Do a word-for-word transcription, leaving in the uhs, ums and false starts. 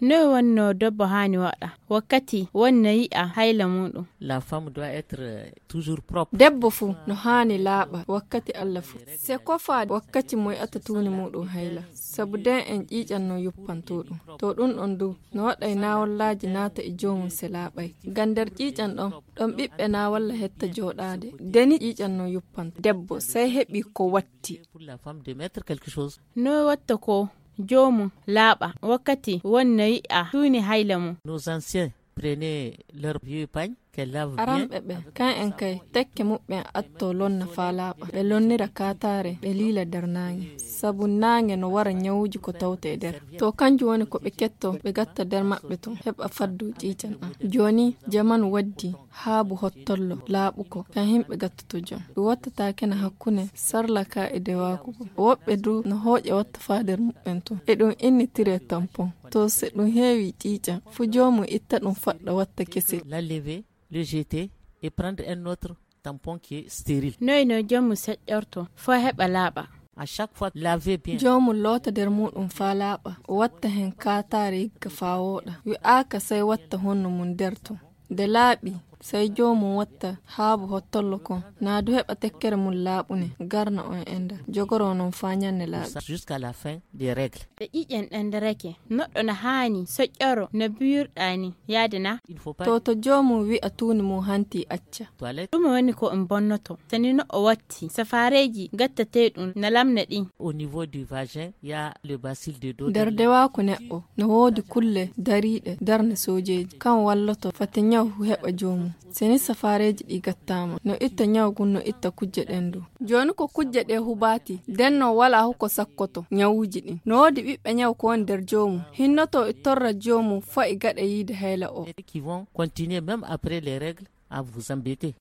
No wonno debbo hani waɗa wakkati wonna yi'a hayla muɗum. La femme doit être toujours propre. Debbo fu no hani laaɓa wakkati Allah fu. Se kofa wakkati mo yi'ata tuuni muɗum hayla. Sabu den en ƴiiƴan no yuppanto ɗum. To ɗum ɗon du no waɗay nawallaji naata e joomum se laaɓay. Ngam nder ƴiiƴan ɗon ɗon ɓiɓɓe nawalla hetta jooɗaade. Deni ƴiiƴan no yuppanto. Debbo sey heɓi ko watti. Pour la femme de mettre quelque chose. No watta ko joomum laaɓa wakkati wonna yi'a tuuni hayla mum. Nos anciens prenaient leur vieux pagne qu'elle lave bien. Aramɓe ɓe kan en kay tekke muɓɓen atto lonna faa laaɓa. Ɓe lonnira kaataare ɓe liila nder naange. Sabu naange no wara nyawuji ko tawte e nder. To kanjum woni ko ɓe ketto ɓe gatta nder maɓɓe ton heɓa faddu ƴiiƴan ɗan. Joni jamanu waddi haabu hottollo laaɓuko kan himɓe gattoto jon. Ɓe wattataake na hakkunde sarlaka e dewakugo. Woɓɓe du no hooƴe watta faa nder muɓɓen ton. E ɗum innitire tampon. To se ɗum heewi ƴiiƴan fu joomum itta ɗum faɗɗa watta kese. La lever, le jeter et prendre un autre tampon qui est stérile. Noy no jommu seƴƴorto fo heɓa laaɓa. À chaque fois, lavez bien. Joomum loota nder muɗum faa laaɓa. Watta hen kaataare yigga faa wooɗa. Wi'aaka sey watta honno mum nder ton. De laaɓi sey joomum watta haabu hottollo kon. Naa du heɓa tekkere mum laaɓune garna on enda. Jogoro non faa nyanne laaɓi. Jusqu'à la fin des règles. Ɓe ƴiƴen ɗandarake noɗɗo no haani soƴƴoro no biyurɗani yaadana. Il faut pas. To to joomum wi'a tuuni mum hanti acca. Toilette. Ɗum woni ko en bonnoto sani no o watti safareji gattate ɗum na lamna ɗin. Au niveau du vagin, il y a le bacille de dos. Nder dewaku neɗɗo no woodi kulle dariiɗe darne sojeji kan walloto fati nyaw heɓa joomum. Seni safareji ɗi gattama no itta nyawgun no itta kujje ɗen du. Joni ko kujje ɗe hubati den no wala huko sakkoto nyawuji ɗin. No woodi ɓiɓɓe nyaw ko woni nder joomum. Hinnoto e torra joomum fa'i gaɗa yiide hayla o. Qui vont continuer même après les règles à vous embêter.